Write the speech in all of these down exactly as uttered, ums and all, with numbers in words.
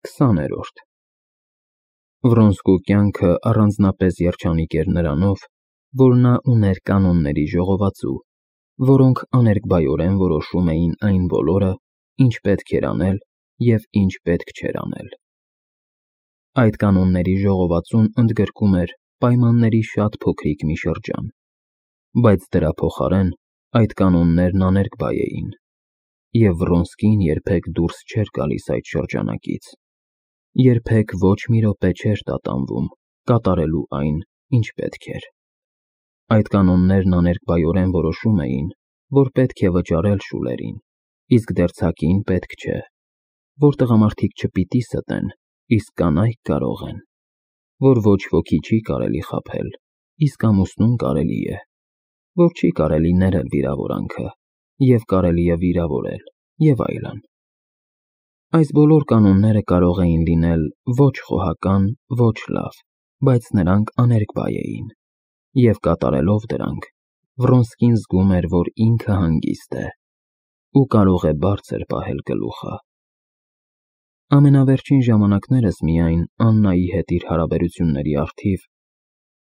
քսաներորդ Վրոնսկու կյանքը առանձնապես երջանիկ էր նրանով, որ նա ուներ կանոնների ժողովածու, որոնք աներկբայորեն որոշում էին այն բոլորը, ինչ պետք էր անել և ինչ պետք չէր անել։ Այդ կանոնների ժողովածուն ընդգրկում էր պայմանների շատ փոքրիկ մի շրջան, բայց դրա փոխարեն այդ կանոններն աներկբայ էին, և Վրոնսկին երբեք դուրս չէր գալիս այդ շրջանակից, երբեք ոչ մի րոպե չէր տատանվում կատարելու այն, ինչ պետք էր։ Այդ կանոններն աներկբայորեն որոշում էին, որ պետք է վճարել շուլերին, իսկ դերձակին պետք չէ, որ տղամարդիկ չպիտի ստեն, իսկ կանայք կարող են, որ ոչ ոքի չի կարելի խաբել, իսկ ամուսնուն կարելի է, որ չի կարելի ներել վիրավորանքը, և կարելի է վիրավորել, և այլն։ Այս բոլոր կանոնները կարող էին լինել ոչ խոհական, ոչ լավ, բայց նրանք աներկբայ էին, և կատարելով դրանք, Վրոնսկին զգում էր, որ ինքը հանգիստ է ու կարող է բարձր պահել գլուխը։ Ամենավերջին ժամանակներս միայն Աննայի հետ իր հարաբերությունների առթիվ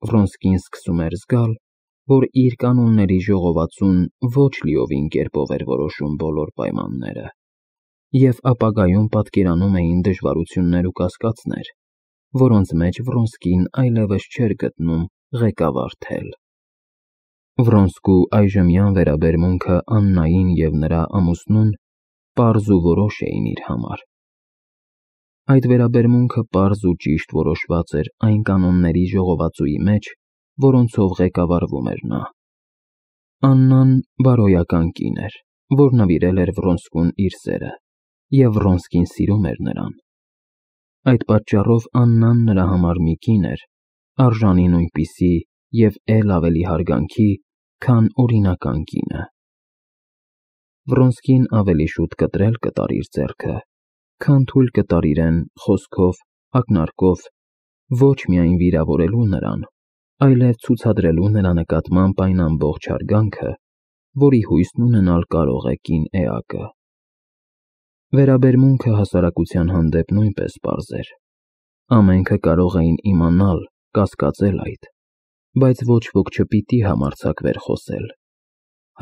Վրոնսկին սկսում էր զգալ, որ իր կանոնների ժողովածուն ոչ լիովին կերպով էր որոշում բոլոր պայմանները, և ապագայում պատկերանում էին դժվարություններ ու կասկածներ, որոնց մեջ Վրոնսկին այլևս չէր գտնում ղեկավար թել։ Վրոնսկու այժմյան վերաբերմունքը Աննային և նրա ամուսնուն պարզ ու որոշ էին իր համար։ Այդ վերաբերմունքը պարզ ու ճիշտ որոշված էր այն կանոնների ժողովածուի մեջ, որոնցով ղեկավարվում էր նա։ Աննան բարոյական կին էր, որ նվիրել էր Վրոնսկուն իր սերը, և Վրոնսկին սիրում էր նրան։ Այդ պատճառով Աննան նրա համար մի կին էր, արժանի նույնպիսի և էլ ավելի հարգանքի, քան օրինական կինը։ Վրոնսկին ավելի շուտ կտրել կտար իր ձեռքը, քան թույլ կտար իրեն խոսքով, ակնարկով ոչ միայն վիրավորելու նրան, այլև ցուցադրելու նրա նկատմամբ այն ամբողջ հարգանքը, որի հույսն ունենալ կարող է կին էակը։ Վերաբերմունքը հասարակության հանդեպ նույնպես պարզ էր։ Ամենքը կարող էին իմանալ, կասկածել այդ, բայց ոչ ոք չպիտի համարձակվեր խոսել։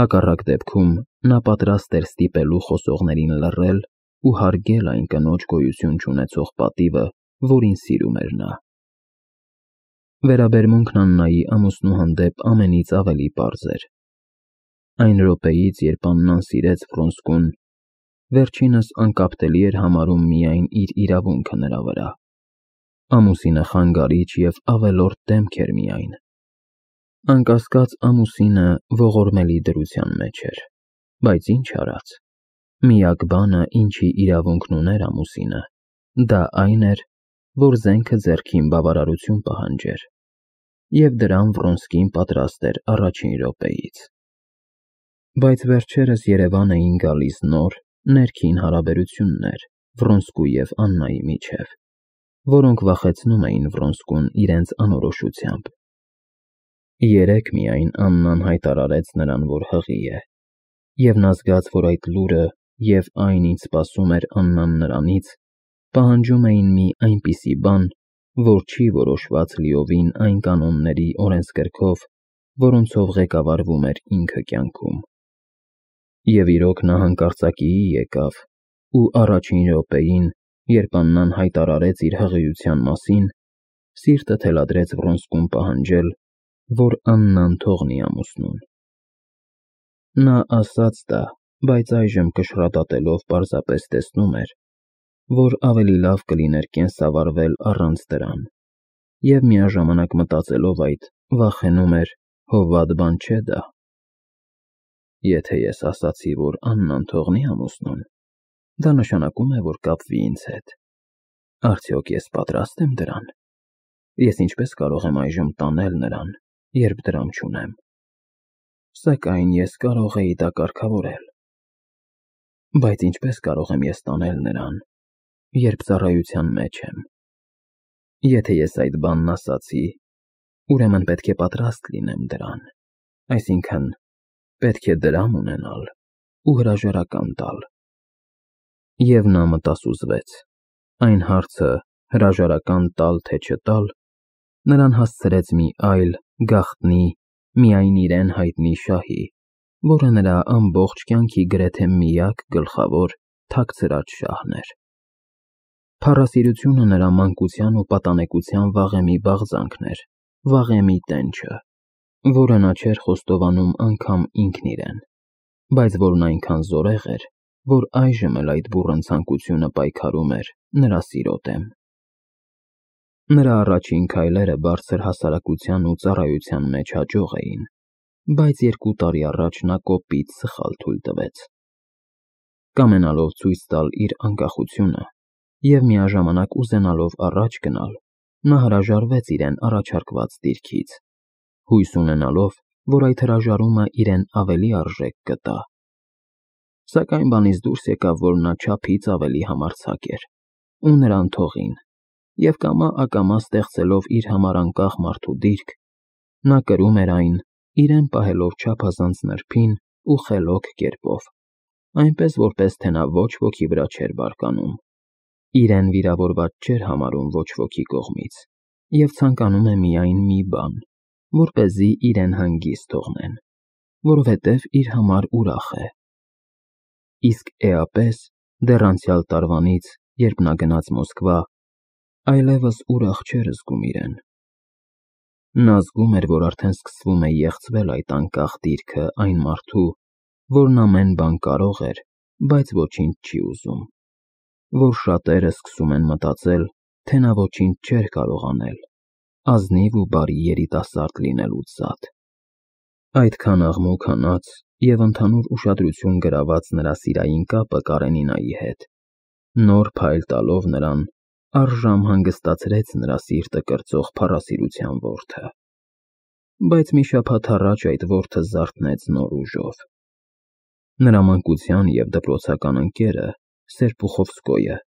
Հակառակ դեպքում նա պատրաստ էր ստիպելու խոսողներին լռել ու հարգել այն կնոջ գոյություն չունեցող պատիվը, որին սիրում էր նա։ Վերաբերմունքն Աննայի ամուսնու հանդեպ ամենից ավելի պարզ էր։ Այն րոպեից, երբ Աննան սիրեց Վրոնսկուն, վերջինս անկապտելի էր համարում միայն իր իրավունքը նրա վրա։ Ամուսինը խանգարիչ և ավելորդ դեմք էր միայն։ Անկասկած ամուսինը ողորմելի դրության մեջ էր, բայց ինչ արած, միակ բանը, ինչի իրավունքն ուներ ամուսինը, դա այն էր, որ զենքը ձեռքին բավարարություն պահանջեր, և դրան Վրոնսկին պատրաստ էր առաջին րոպեից։ Բայց վերջերս Երևան էին գալիս նոր, ներքին հարաբերություններ Վրոնսկու և Աննայի միջև, որոնք վախեցնում էին Վրոնսկուն իրենց անորոշությամբ։ Երեկ միայն Աննան հայտարարեց նրան, որ հղի է, և նա զգաց, որ այդ լուրը և այն, ինչ սպասում էր Աննան նրանից, պահանջում էին մի այնպիսի բան, որ չի որոշված լիովին այն կանոնների օրենսգրքով, որոնցով ղեկավարվում էր ինքը կյանքում։ Եվ իրոք նա հանկարծակիի եկավ ու առաջին րոպեին, երբ Աննան հայտարարեց իր հղիության մասին, սիրտը թելադրեց Վրոնսկուն պահանջել, որ Աննան թողնի ամուսնուն։ Նա ասաց դա, բայց այժմ կշռադատելով պարզապես տեսնում էր, որ ավելի լավ կլիներ կենսավարվել առանց դրան, և միաժամանակ մտածելով այդ, վախենում էր, հովվատ բան չէ դա։ Եթե ես ասացի, որ Աննան թողնի ամուսնուն, դա նշանակում է, որ կապվի ինձ հետ։ Արդյոք ես պատրաստ եմ դրան։ Ես ինչպես կարող եմ այժմ տանել նրան, երբ դրամ չունեմ։ Սակայն ես կարող էի դա կարգավորել։ Բայց ինչպես կարող եմ ես տանել նրան, երբ ծառայության մեջ եմ։ Եթե ես այդ բանն ասացի, ուրեմն պետք է պատրաստ լինեմ դրան, այսինքն պետք է դրամ ունենալ ու հրաժարական տալ։ Եվ նա մտասուզվեց, Այն հարցը հրաժարական տալ թե չտալ նրան հասցրեց մի այլ, գաղտնի, միայն իրեն հայտնի շահի, որը նրա ամբողջ կյանքի գրեթե միակ գլխավոր թաքցրած շահն էր։ Փառասիրությունը նրա մանկության ու պատանեկության վաղեմի բաղձանքն էր, վաղեմի տենչը, որը նա չէր խոստովանում անգամ ինքն իրեն, բայց որն այնքան զորեղ էր, որ այժմ էլ այդ բուռն ցանկությունը պայքարում էր նրա սիրո դեմ։ Նրա առաջին քայլերը բարձր հասարակության ու ծառայության մեջ հաջող էին, բայց երկու տարի առաջ նա կոպիտ սխալ թույլ տվեց։ Կամենալով ցույց տալ իր անկախությունը և միաժամանակ ուզենալով առաջ գնալ, նա հրաժարվեց իրեն առաջարկված դիրքից, հույս ունենալով, որ այդ հրաժարումը իրեն ավելի արժեք կտա։ Սակայն բանից դուրս եկավ, որ նա չափից ավելի համարձակ էր, ու նրան թողին, և կամա-ակամա ստեղծելով իր համար անկախ մարդու դիրք, նա կրում էր այն, իրեն պահելով չափազանց նրբին ու խելոք կերպով, այնպես որպես թե նա ոչ ոքի վրա չէր բարկանում, իրեն վիրավորված չէր համարում ոչ ոքի կողմից և ցանկանում է միայն մի բան, որպեսզի իրեն հանգիստ թողնեն, որովհետև իր համար ուրախ է։ Իսկ էապես, դեռ անցյալ տարվանից, երբ նա գնաց Մոսկվա, այլևս ուրախ չէր զգում իրեն։ Նա զգում էր, որ արդեն սկսվում է եղցվել այդ անկախ դիրքը այն մարդու, որն ամեն բան կարող էր, բայց ոչինչ չի ուզում, որ շատերը սկսում են մտածել, թե նա ոչինչ չէր կարող անել, ազնիվ ու բարի երիտասարդ լինելուց զատ։ Այդքան աղմուկ հանած և ընդհանուր ուշադրություն գրաված նրա սիրային կապը Կարենինայի հետ, նոր փայլ տալով նրան, առժամ հանգստացրեց նրա սիրտը կրծող փառասիրության որդը։ Բայց մի շաբաթ առաջ այդ որդը զարթնեց նոր ուժով։ Նրա մանկության և դպրոցական ընկերը Սերպուխովսկոյը,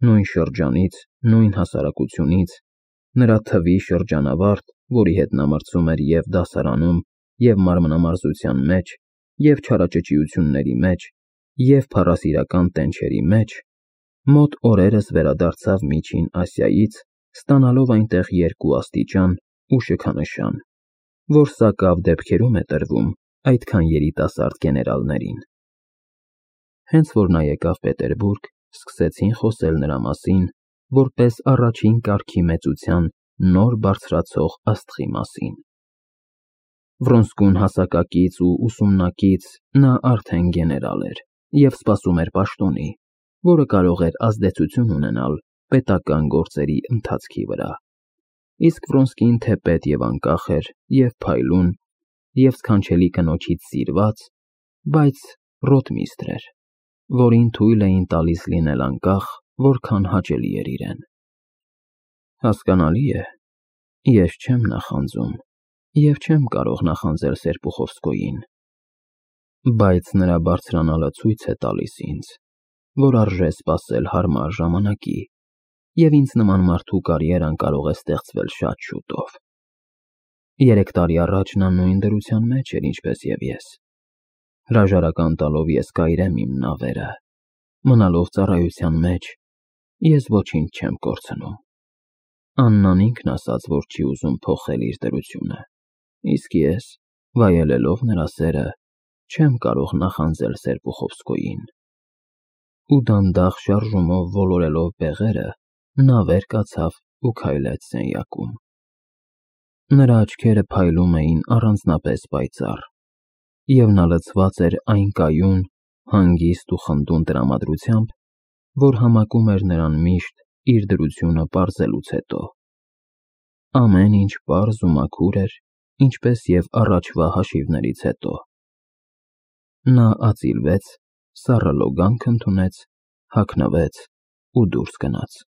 նույն շրջանից, նույն հասարակությունից, նրա թվի շրջանավարտ, որի հետ նա մրցում էր և դասարանում, և մանրամասնության մեջ, և չարաճճիությունների մեջ, և փառասիրական տենչերի մեջ, մոտ օրերս վերադարձավ Միջին Ասիայից, ստանալով այնտեղ երկու աստիճան ու շքանշան, որ սակավ դեպքերում է տրվում այդքան երիտասարդ գեներալներին։ Հենց որ նա եկավ Պետերբուրգ, սկսեցին խոսել նրա մասին, որպես առաջին կարգի մեծության նոր բարձրացող աստղի մասին։ Վրոնսկուն հասակակից ու ուսումնակից նա արդեն գեներալ էր և սպասում էր պաշտոնի, որը կարող էր ազդեցություն ունենալ պետական գործերի ընթացքի վրա, իսկ Վրոնսկին թեպետ և անկախ էր, և փայլուն, և սքանչելի կնոջից սիրված, բայց ռոտմիստրր էր, որին թույլ էին տալիս լինել անկախ, որքան հաճելի էր իրեն։ Հասկանալի է, ես չեմ նախանձում և չեմ կարող նախանձել Սերպուխովսկոյին, բայց նրա բարձրանալը ցույց է տալիս ինձ, որ արժե սպասել հարմար ժամանակի, և ինձ նման մարդու կարիերան կարող է ստեղծվել շատ շուտով։ Երեք տարի առաջ նա նույն դրության մեջ էր, ինչպես և ես։ Հրաժարական տալով ես կայրեմ իմ նավերը, մնալով ծառայության մեջ, ես ոչինչ չեմ կորցնում։ Աննան ինքն ասաց, որ չի ուզում փոխել իր դրությունը, իսկ ես, վայելելով նրա սերը, չեմ կարող նախանձել Սերպուխովսկոյին։ Ու դանդաղ շարժումով ոլորելով բեղերը, նա վեր կացավ ու քայլեց սենյակում։ Նրա աչքերը փայլում էին առանձնապես պայծառ, և նա լցված էր այն կայուն, հանգիստ ու խնդուն տրամադրությամբ, որ համակում էր նրան միշտ իր դրությունը պարզելուց հետո։ Ամեն ինչ պարզ ու մաքուր էր, ինչպես և առաջվա հաշիվներից հետո։ Նա ածիլվեց, սառը լոգանք ընդունեց, հագնվեց ու դուրս գնաց։